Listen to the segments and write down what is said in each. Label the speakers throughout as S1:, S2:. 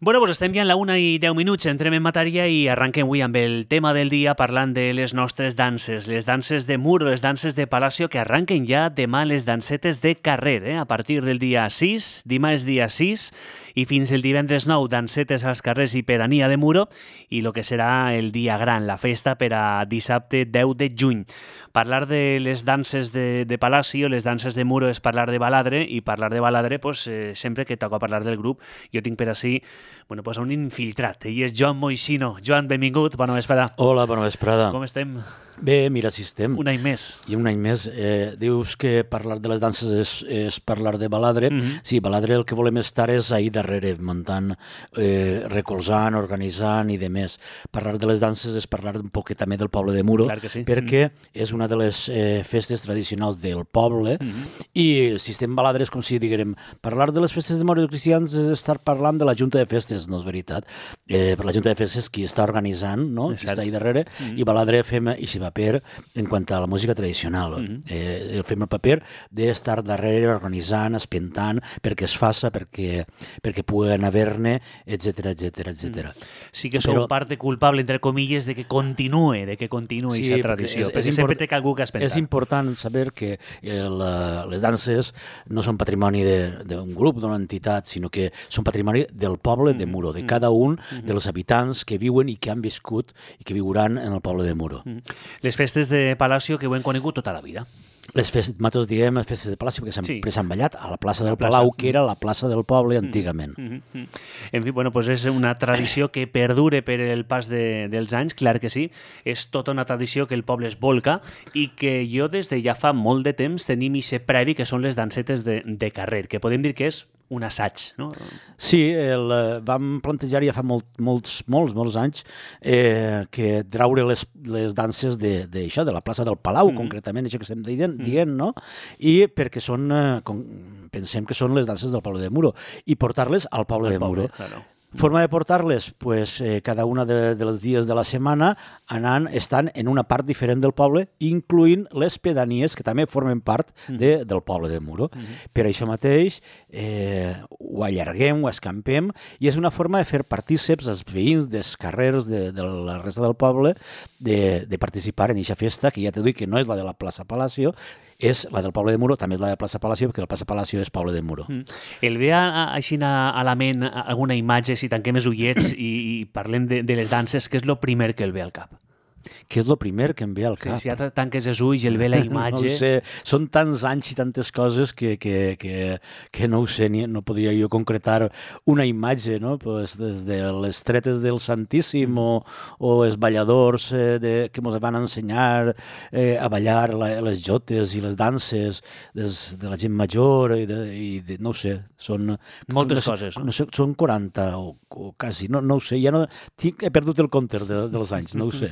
S1: Bueno, pues estem ja en la 1:10, entrem en matèria i arrenquem avui amb el tema del dia parlant de les nostres danses, les danses de muro, les danses de Palacio, que arranquen ja demà les dansetes de carrer, a partir del dia 6, dimarts dia 6, i fins el divendres 9, dansetes als carrers i pedania de muro, i el que serà el dia gran, la festa per a dissabte 10 de juny. Parlar de les danses de Palacio, les danses de muro, és parlar de baladre, i parlar de baladre, pues, sempre que toca parlar del grup, jo tinc per ací pues un infiltrat, i és Joan Moixino. Joan, benvingut, bona vesprada.
S2: Hola, bona vesprada.
S1: Com estem?
S2: Bé, mira, si estem.
S1: Un any més.
S2: I un any més. Dius que parlar de les danses és parlar de baladre. Sí, baladre el que volem estar és ahir darrere, muntant, recolzant, organitzant i de més. Parlar de les danses és parlar un poquet també del poble de Muro,
S1: clar que sí.
S2: Perquè és una de les festes tradicionals del poble i si estem baladre és com si diguem parlar de les festes de Muro cristians és estar parlant de la Junta de Festes, no és veritat. Per la Junta de Festes qui està organitzant, no? Qui està ahir darrere, i baladre fem i si paper en quant a la música tradicional. Fem el paper d'estar darrere organitzant, espentant, perquè es faça, perquè puguen haver-ne, etc.
S1: Sí que sou part culpable, entre comilles, de que continuï aquesta tradició, perquè sempre té algú que espentar.
S2: És important saber que les danses no són patrimoni d'un grup, d'una entitat, sinó que són patrimoni del poble de Muro, de cada un dels habitants que viuen i que han viscut i que viuran en el poble de Muro.
S1: Les festes de Palacio que ho hem conegut tota la vida.
S2: Nosaltres diem festes de Palacio perquè sempre s'han ballat a la plaça del Palau, que era la plaça del poble antigament.
S1: En fi, bueno, pues és una tradició que perdure per el pas dels anys, clar que sí. És tota una tradició que el poble es volca i que jo des de ja fa molt de temps tenim aquest previ que són les dansetes de carrer, que podem dir que és un assaig, no?
S2: Sí, vam plantejar ja fa molts anys que traure les danses d'això, de la plaça del Palau, concretament, això que estem dient, no? I perquè pensem que són les danses del poble de Muro, i portar-les al poble de Muro.
S1: Claro.
S2: Forma de portar-les, pues, cada una dels dies de la setmana estan en una part diferent del poble, incloent les pedanies, que també formen part del poble de Muro. Per això mateix ho allarguem, ho escampem, i és una forma de fer partíceps als veïns dels carrers de la resta del poble de participar en aquesta festa, que ja t'ho dic que no és la de la plaça Palacio, és la del poble de Muro, també és la de plaça Palacio, perquè la plaça Palacio és poble de Muro.
S1: El ve així a la ment alguna imatge, si tanquem els ullets i parlem de les danses, què és el primer que el ve al cap?
S2: Què és el primer que em ve al cap?
S1: Si ja tanques els ulls i el ve la imatge...
S2: No ho sé, són tants anys i tantes coses que no ho sé, no podria jo concretar una imatge, no? Pues des de les tretes del Santíssim o els balladors que ens van ensenyar a ballar les jotes i les danses de la gent major i no ho sé, són...
S1: Moltes coses, no?
S2: Són 40 o quasi, no ho sé, ja no... He perdut el compte dels anys, no ho sé.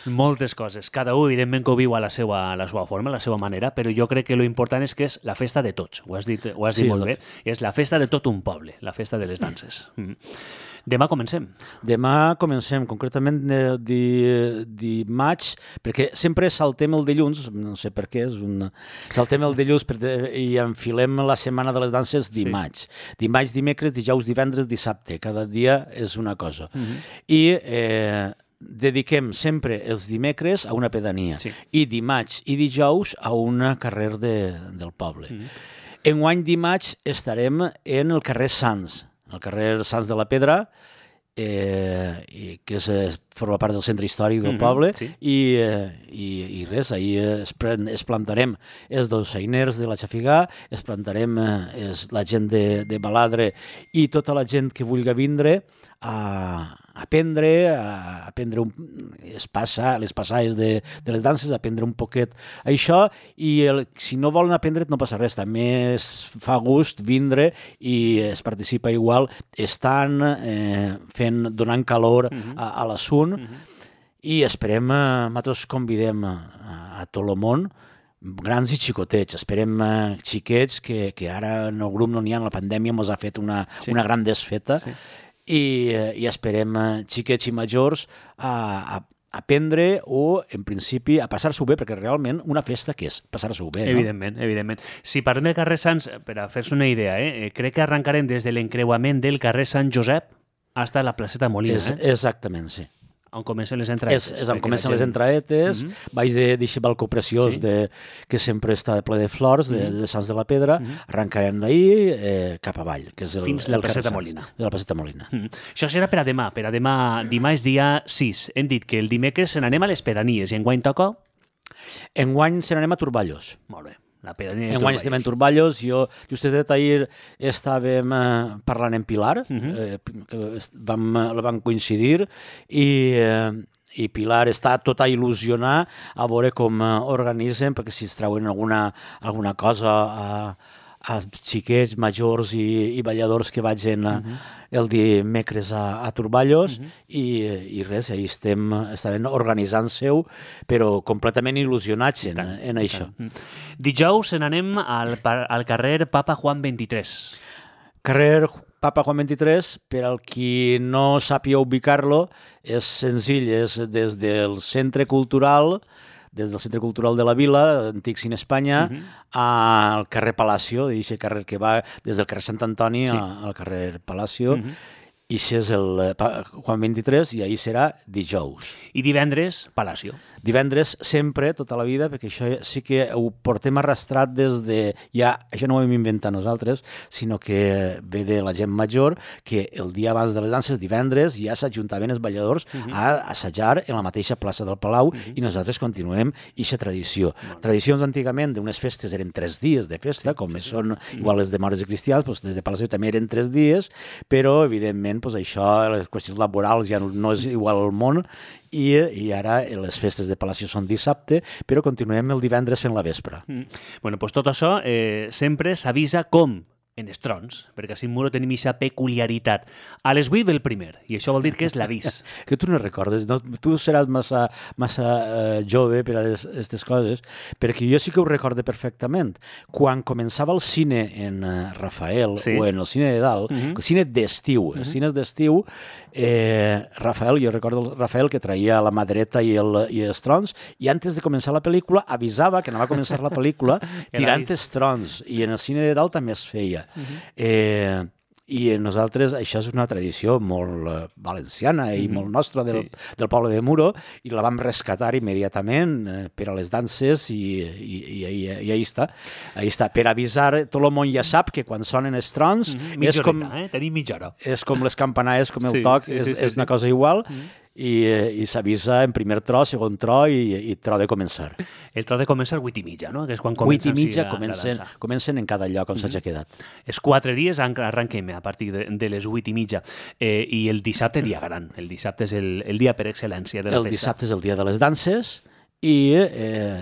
S1: Moltes coses. Cada un, evidentment, que ho viu a la seva forma, a la seva manera, però jo crec que l'important és que és la festa de tots. Ho has dit molt bé. És la festa de tot un poble, la festa de les danses. Demà comencem. Demà
S2: comencem, concretament dimarts, perquè sempre saltem el dilluns, no sé per què, saltem el dilluns i enfilem la setmana de les danses dimarts. Dimarts, dimecres, dijous, divendres, dissabte. Cada dia és una cosa. I dediquem sempre els dimecres a una pedania i dimarts i dijous a un carrer del poble. Enguany dimarts estarem en el carrer Sants, el carrer Sants de la Pedra, que forma part del centre històric del poble, i res, ahir es plantarem els dolçainers de la Xafigà, es plantarem la gent de Baladre i tota la gent que vulgui vindre a aprendre les passades de les danses, aprendre un poquet això, i si no volen aprendre no passa res, també es fa gust vindre i es participa igual, estan donant calor a l'assunt, i esperem, nosaltres convidem a tot el món, grans i xicotets, esperem xiquets que ara en el grup no n'hi ha, la pandèmia ens ha fet una gran desfeta, i esperem xiquets i majors a aprendre o, en principi, a passar-s'ho bé, perquè realment una festa què és? Passar-s'ho bé, no?
S1: Evidentment. Si parlem del carrer Sants, per a fer-se una idea, crec que arrencarem des de l'encreuament del carrer Sant Josep, hasta la placeta Molina,
S2: Exactament, sí.
S1: On comencen les entraetes.
S2: És on comencen les entraetes, baix d'aquest balcó preciós que sempre està ple de flors, de Sants de la Pedra, arrencarem d'ahir cap avall, que és
S1: fins la placeta Molina.
S2: De la placeta Molina.
S1: Això serà per a demà. Per a demà, dimarts, dia 6. Hem dit que el dimecres se n'anem a les Pedanies i enguany toca?
S2: Enguany se n'anem a Turballos.
S1: Molt bé. La pedania de
S2: Enguany estem en Turballos. Jo, justet ahir, estàvem parlant en Pilar, vam coincidir, i Pilar està tot a il·lusionar a veure com organitzen, perquè si es treuen alguna cosa a xiquets, majors i balladors que vagin el dimecres a Turballos i res, ahí estem organitzant-se-ho, però completament il·lusionats en això.
S1: Dijous se n'anem al carrer Papa Juan 23.
S2: Carrer Papa Juan 23, per al qui no sàpiga ubicar-lo, és senzill, és des del Centre Cultural de la Vila, antic Cine Espanya, al carrer Palacio, aquest carrer que va des del carrer Sant Antoni al carrer Palacio, i això és el Juan 23, i ahir serà dijous.
S1: I divendres, Palacio.
S2: Divendres, sempre, tota la vida, perquè això sí que ho portem arrastrat des de... Ja, això no ho hem inventat nosaltres, sinó que ve de la gent major, que el dia abans de les danses, divendres, ja s'ajuntaven els balladors a assajar en la mateixa plaça del Palau i nosaltres continuem aquesta tradició. Tradicions antigament d'unes festes eren 3 dies de festa, com són igual les de Mores i Cristians, doncs des de Palacio també eren 3 dies, però evidentment això, les qüestions laborals ja no és igual al món, i ara les festes de Palacio són dissabte, però continuem el divendres fent la vespre.
S1: Bueno, doncs tot això sempre s'avisa com en els trons, perquè a Muro tenim aquesta peculiaritat. A les 8 del primer, i això vol dir que és l'avís.
S2: Que tu no recordes, no? Tu seràs massa jove per a aquestes coses, perquè jo sí que ho recorde perfectament. Quan començava el cine en Rafael, o en el cine de dalt, el cine d'estiu, els cines d'estiu, Rafael, jo recordo el Rafael que traia la mà dreta i els trons, i antes de començar la pel·lícula avisava que anava a començar la pel·lícula tirant els trons, i en el cine de dalt també es feia. I nosaltres, això és una tradició molt valenciana i molt nostra del poble de Muro, i la vam rescatar immediatament per a les danses i ahí està. Per avisar, tot el món ja sap que quan sonen els trons
S1: tenim mitja hora.
S2: És com les campanades, com el toc, és una cosa igual, i s'avisa en primer tro, segon tro i tro de començar.
S1: El tro de començar 8:30, no? Que és quan comencen
S2: 8:30 comencen en cada lloc on s'hagi quedat.
S1: Els 4 dies arrenquem a partir de les 8:30 i el dissabte dia gran. El dissabte és el dia per excel·lència de la festa.
S2: El dissabte és el dia de les danses i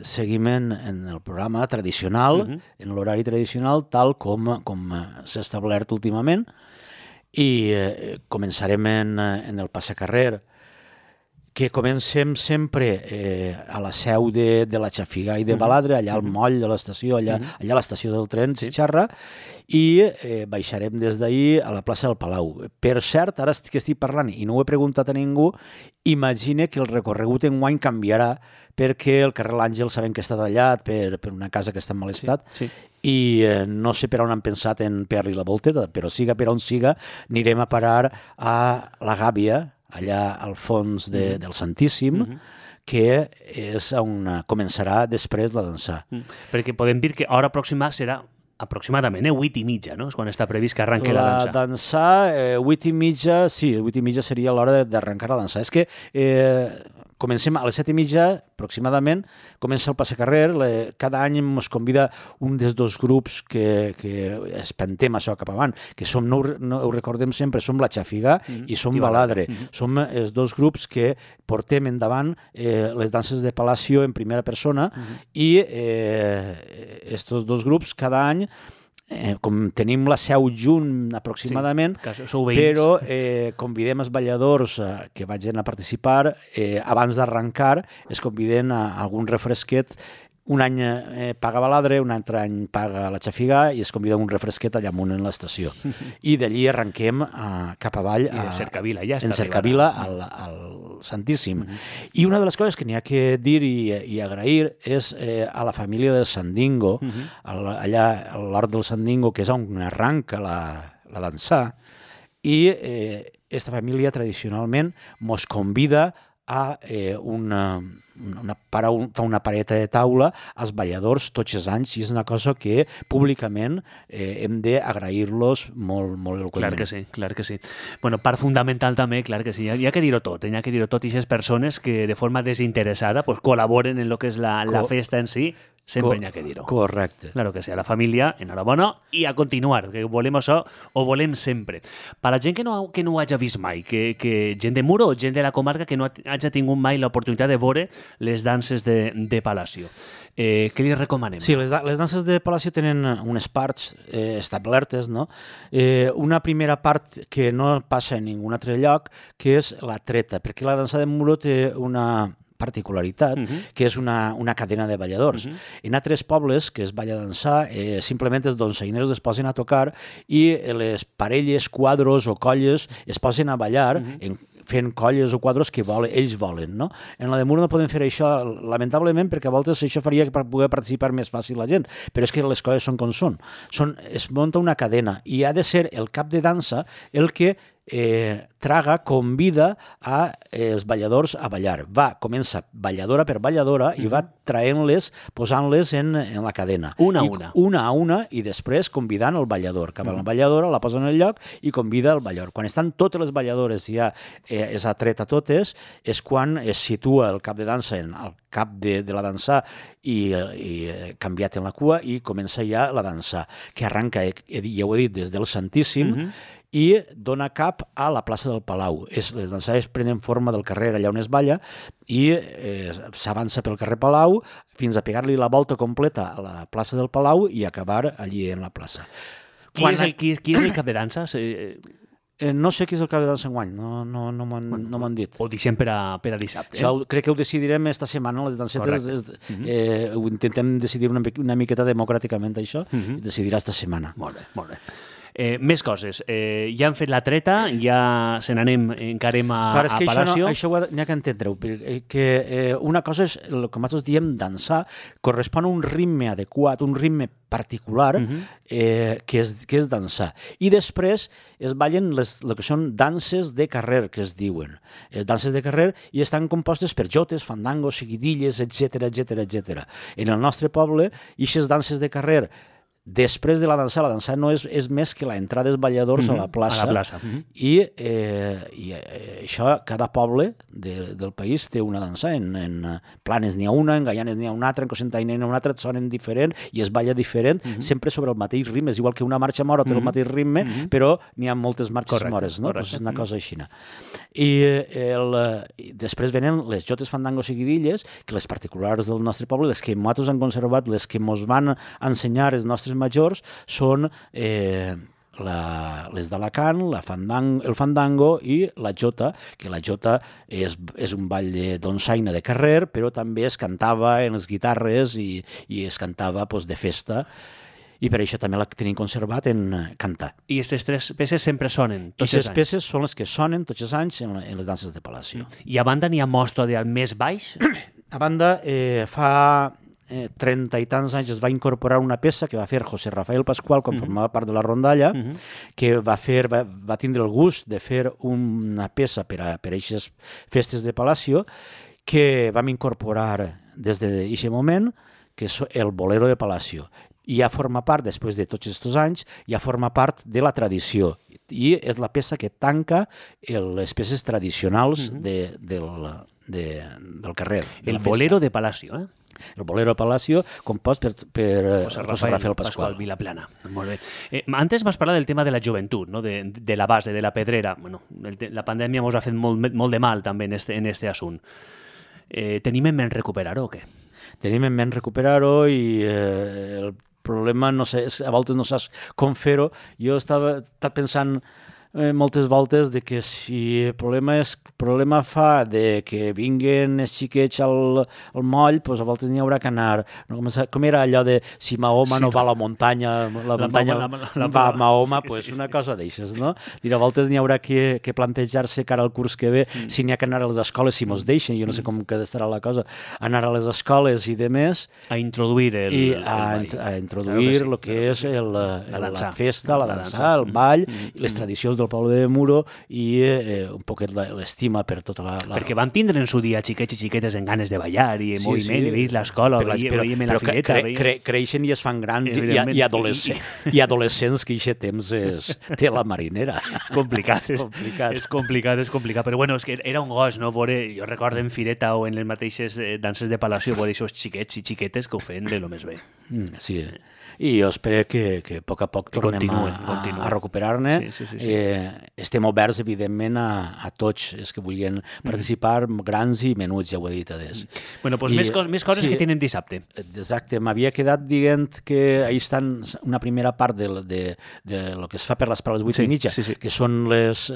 S2: seguim en el programa tradicional, en l'horari tradicional, tal com s'ha establert últimament, i començarem en el passacarrer, que comencem sempre a la seu de la Xafigà i de Baladre, allà al moll de l'estació, allà a l'estació del tren, Xixarra, i baixarem des d'ahir a la plaça del Palau. Per cert, ara que estic parlant i no ho he preguntat a ningú, imagine que el recorregut enguany canviarà, perquè el carrer L'Àngel sabem que està tallat per una casa que està en mal estat, i no sé per on han pensat en fer-li la volteta, però siga per on siga, anirem a parar a la Gàbia, allà al fons del Santíssim, que és on començarà després la dansar.
S1: Perquè podem dir que hora pròxima serà aproximadament 8:30, no? És quan està previst que arrenqui la dansa.
S2: La dansar, 8:30, sí, 8:30 seria l'hora d'arrencar la dansar. És que comencem a les 7:30, aproximadament, comença el passacarrer. Cada any ens convida un dels 2 grups que espantem això cap avant, que som, no ho recordem sempre, som la Xafigà i som Baladre. Som els 2 grups que portem endavant les danses de Palacio en primera persona, i estos 2 grups cada any, com tenim la seu junt aproximadament, però convidem els balladors que vagin a participar, abans d'arrencar es conviden a algun refresquet. Un any paga Baladre, un altre any paga la Xafigà, i es convida un refresquet allà amunt en l'estació. I d'allí arrenquem cap avall
S1: en
S2: Cercavila, al Santíssim. I una de les coses que n'hi ha que dir i agrair és a la família del Sandingo, allà a l'Hort del Sandingo, que és on arranca la dansar, i aquesta família tradicionalment mos convida a fa una pareta de taula als balladors tots els anys, i és una cosa que públicament hem d'agrair-los molt eloqüentment.
S1: Clar que sí. Bueno, part fundamental també, clar que sí, hi ha que dir-ho tot, i aquestes persones que de forma desinteressada pues, col·laboren en el que és la festa en si, sempre hi ha que dir-ho.
S2: Correcte.
S1: Claro que sí, a la família, enhorabona, i a continuar, que volem això, o volem sempre. Per la gent que no ho hagi vist mai, que gent de Muro o gent de la comarca que no hagi tingut mai l'oportunitat de veure les danses de Palacio. Què li recomanem?
S2: Sí, les danses de Palacio tenen unes parts establertes, no? Una primera part que no passa en ningun altre lloc, que és la treta, perquè la dansa de Muro té una particularitat, que és una cadena de balladors. En altres pobles que es balla a dansar, simplement els donzeiners es posen a tocar i les parelles, quadros o colles es posen a ballar fent colles o quadros que ells volen. No? En la de Muro no podem fer això, lamentablement, perquè a voltes això faria per poder participar més fàcil la gent, però és que les coses són com són. Es munta una cadena i ha de ser el cap de dansa el que traga, convida a els balladors a ballar. Comença balladora per balladora i va traient-les, posant-les en la cadena.
S1: Una
S2: a una, i després convidant el ballador. Cap a la balladora, la posa en el lloc i convida el ballador. Quan estan totes les balladores ja és atret a totes, és quan es situa el cap de dansa en el cap de la dansa i canviat en la cua i comença ja la dansa, que arranca, ja ho he dit, des del Santíssim, i dona cap a la plaça del Palau. Les dansades prenen forma del carrer allà on es balla i s'avança pel carrer Palau fins a pegar-li la volta completa a la plaça del Palau i acabar allí en la plaça.
S1: Qui és el cap de dansa?
S2: No sé qui és el cap de dansa enguany, no m'han dit.
S1: Ho deixem per a dissabte.
S2: Això crec que ho decidirem esta setmana, les dansetes. Ho intentem decidir una miqueta democràticament, això, i decidirà esta setmana.
S1: Molt bé. Més coses. Ja han fet la treta, ja se n'anem, encarem a Palacio.
S2: Això n'hi ha que entendre-ho, que una cosa és, el que nosaltres diem dansar, correspon a un ritme adequat, un ritme particular, que és dansar. I després es ballen el que són danses de carrer, que es diuen. Danses de carrer, i estan compostes per jotes, fandangos, seguidilles, etc. En el nostre poble, aquestes danses de carrer, després de la dansa no és més que l'entrada dels balladors a la plaça. I això, cada poble del país té una dansa. En Planes n'hi ha una, en Gaianes n'hi ha una altra, en Cocentaina n'hi ha una altra, sonen diferent i es balla diferent, sempre sobre el mateix ritme. És igual que una marxa mora té el mateix ritme, però n'hi ha moltes marxes mores, no? És una cosa així. I després venen les jotes, fandangos i guidilles, que les particulars del nostre poble, les que nosaltres han conservat, les que ens van ensenyar els nostres majors, són les d'Alacant, el fandango i la jota, que la jota és un ball de donsaina de carrer, però també es cantava en les guitarres i es cantava de festa, i per això també la tenim conservat en cantar.
S1: I aquestes tres peces sempre sonen tots els anys?
S2: Aquestes peces són les que sonen tots els anys en les danses de Palacio.
S1: I a banda n'hi ha mostra del més baix?
S2: A banda, fa 30 i tants anys es va incorporar una peça que va fer José Rafael Pascual quan formava part de la rondalla, que va tindre el gust de fer una peça per a aquestes festes de Palacio, que vam incorporar des d'aquest moment, que és el Bolero de Palacio. I ja forma part, després de tots aquests anys, ja forma part de la tradició. I és la peça que tanca les peces tradicionals del carrer.
S1: El Bolero de Palacio,
S2: El Bolero de Palacio, compost per José Rafael Pascual.
S1: Vilaplana. Molt bé. Antes vas parlar del tema de la joventut, no? de la base, de la pedrera. Bueno, la pandèmia ens ha fet molt de mal també en este assunt. Tenim en ment recuperar-ho o què?
S2: Tenim en ment recuperar-ho i el problema, no sé, a voltes no saps com fer-ho. Jo estava pensant moltes voltes de que si el problema fa de que vinguen els xiquets al moll, doncs a voltes n'hi haurà que anar. Com era allò de si Mahoma no va a la muntanya, la muntanya va a Mahoma, doncs una cosa d'eixes, no? I a voltes n'hi haurà que plantejar-se cara al curs que ve si n'hi ha que anar a les escoles, si mos deixen, jo no sé com que estarà la cosa, anar a les escoles i de més.
S1: A introduir
S2: a introduir el que és la festa, la dansa, el ball, les tradicions del del poble de Muro i un poquet l'estima per tota la...
S1: Perquè van tindre en su dia xiquets i xiquetes en ganes de ballar i en moviment, i veient l'escola, veiem la fileta...
S2: Creixen i es fan grans i adolescents que aquest temps té la marinera.
S1: És complicat, és complicat, però bueno, és que era un gos, no? Jo recordo en Fireta o en les mateixes danses de Palacio veure aquests xiquets i xiquetes que ho feien de lo més bé.
S2: Sí, i jo espero que a poc a poc tornem a recuperar-ne. Estem oberts, evidentment, a tots els que vulguin participar, grans i menuts, ja ho he dit.
S1: Bueno, doncs més coses que tenen dissabte.
S2: Exacte, m'havia quedat dient que ahí estan una primera part de lo que es fa per les parades 8:30, que són les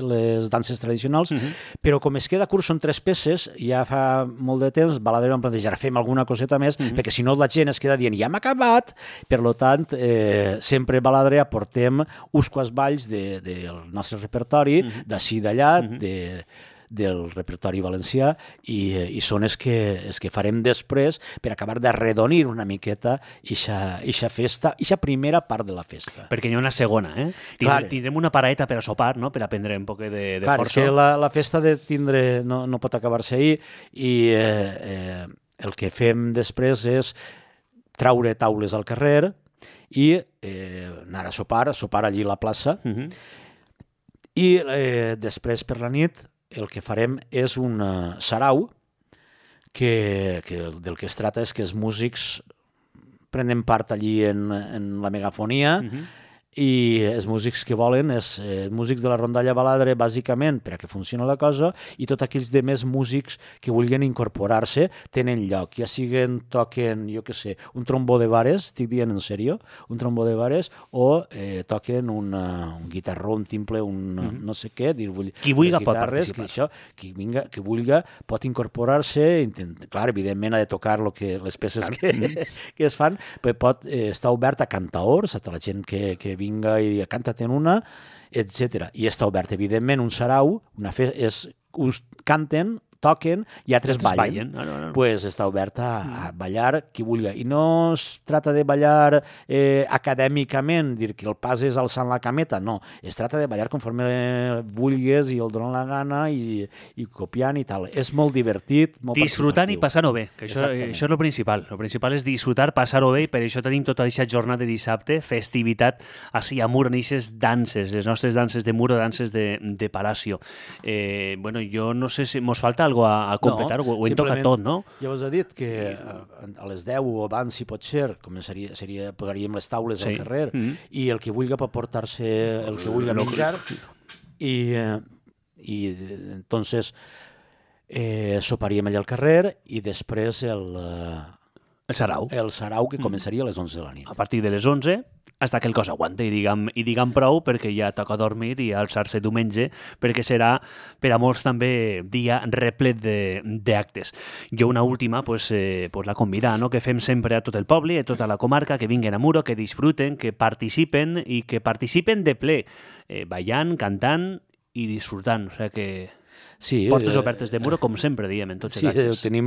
S2: danses tradicionals, però com es queda curt, són 3 peces, ja fa molt de temps, Baladre vam plantejar, fem alguna coseta més, perquè si no la gent es queda dient, ja hem acabat, per tant, sempre a Baladre aportem uns quants balls del nostre repertori, d'ací d'allà, del repertori valencià, i són els que farem després per acabar d'arredonir una miqueta eixa festa, eixa primera part de la festa.
S1: Perquè hi ha una segona, eh? Tindrem una paraeta per a sopar, no?, per a prendre un poc de força.
S2: Clar, és que la festa de tindre no pot acabar-se ahir, i el que fem després és traure taules al carrer i anar a sopar allí a la plaça, i després per la nit el que farem és un sarau que del que es tracta és que els músics prenen part allí en la megafonia, i els músics que volen, els músics de la rondalla Baladre, bàsicament, per a que funcioni la cosa, i tots aquells de més músics que vulguin incorporar-se tenen lloc, ja toquen, jo què sé, un trombó de vares, estic dient en sèrio, un trombó de vares, o toquen un guitarró, un timple, un no sé què,
S1: qui vulgui pot participar.
S2: Qui vulgui pot incorporar-se, clar, evidentment ha de tocar les peces que es fan, però pot estar obert a cantaors, a tota la gent que vinga i diga, canta-te'n una, etc. I està obert, evidentment, un sarau, canten, toquen i altres ballen. Pues està obert a ballar qui vulgui. I no es tracta de ballar acadèmicament, dir que el pas és alçant la cameta, no. Es tracta de ballar conforme vulguis i el donen la gana i copiant i tal. És molt divertit, molt
S1: disfrutant i passant-ho bé, que això és el principal. El principal és disfrutar, passar-ho bé, i per això tenim tota aquesta jornada de dissabte, festivitat, així a Muro, en aquestes danses, les nostres danses de Muro, danses de Palacio. Bueno, jo no sé si mos falta algo a completar, ho hem tocat tot, no?
S2: Ja us he dit que a les 10 o abans, si pot ser, posaríem les taules al carrer, i el que vulgui pot portar-se el que vulgui menjar, i entonces soparíem allà al carrer, i després el sarau, que començaria a les 11 de la nit.
S1: A partir de les 11, hasta que el cos aguante, i diguem prou, perquè ja toca dormir i alçar-se diumenge, perquè serà per a molts també dia replet d'actes. Jo una última, la convidar, no?, que fem sempre a tot el poble, a tota la comarca, que vinguen a Muro, que disfruten, que participen, i que participen de ple, ballant, cantant i disfrutant. O sigui que... Sí, portes obertes de Muro, com sempre diem en tots els actes.
S2: Sí,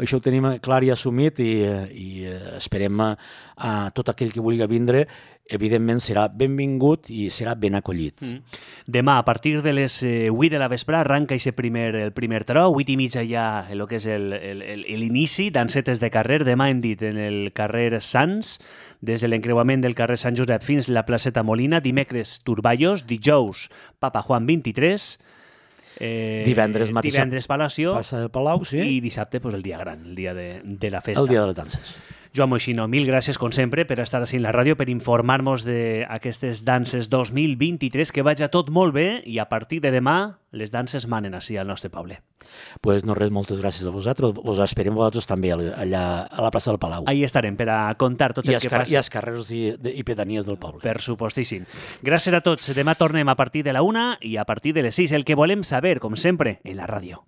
S2: això ho tenim clar i assumit, i esperem a tot aquell que vulgui vindre, evidentment serà benvingut i serà ben acollit.
S1: Demà, a partir de les 8 de la vespre, arranca el primer taró, 8:30 ja el que és l'inici, dansetes de carrer, demà hem dit en el carrer Sants, des de l'encreuament del carrer Sant Josep fins la placeta Molina, dimecres Turballos, dijous Papa Juan 23,
S2: divendres
S1: Palacio,
S2: passa del Palau, sí.
S1: I dissabte el dia gran, el dia de la festa.
S2: El dia de les danses.
S1: Joan Moixino, mil gràcies, com sempre, per estar així en la ràdio, per informar-nos d'aquestes danses 2023, que vagi tot molt bé, i a partir de demà les danses manen així al nostre poble.
S2: Pues no res, moltes gràcies a vosaltres. Vos esperem vosaltres també allà a la plaça del Palau.
S1: Ahí estarem per a contar tot el que passa.
S2: I als carrers i pedanies del poble.
S1: Per supostíssim. Gràcies a tots. Demà tornem a partir de la 1 i a partir de les 6. El que volem saber, com sempre, en la ràdio.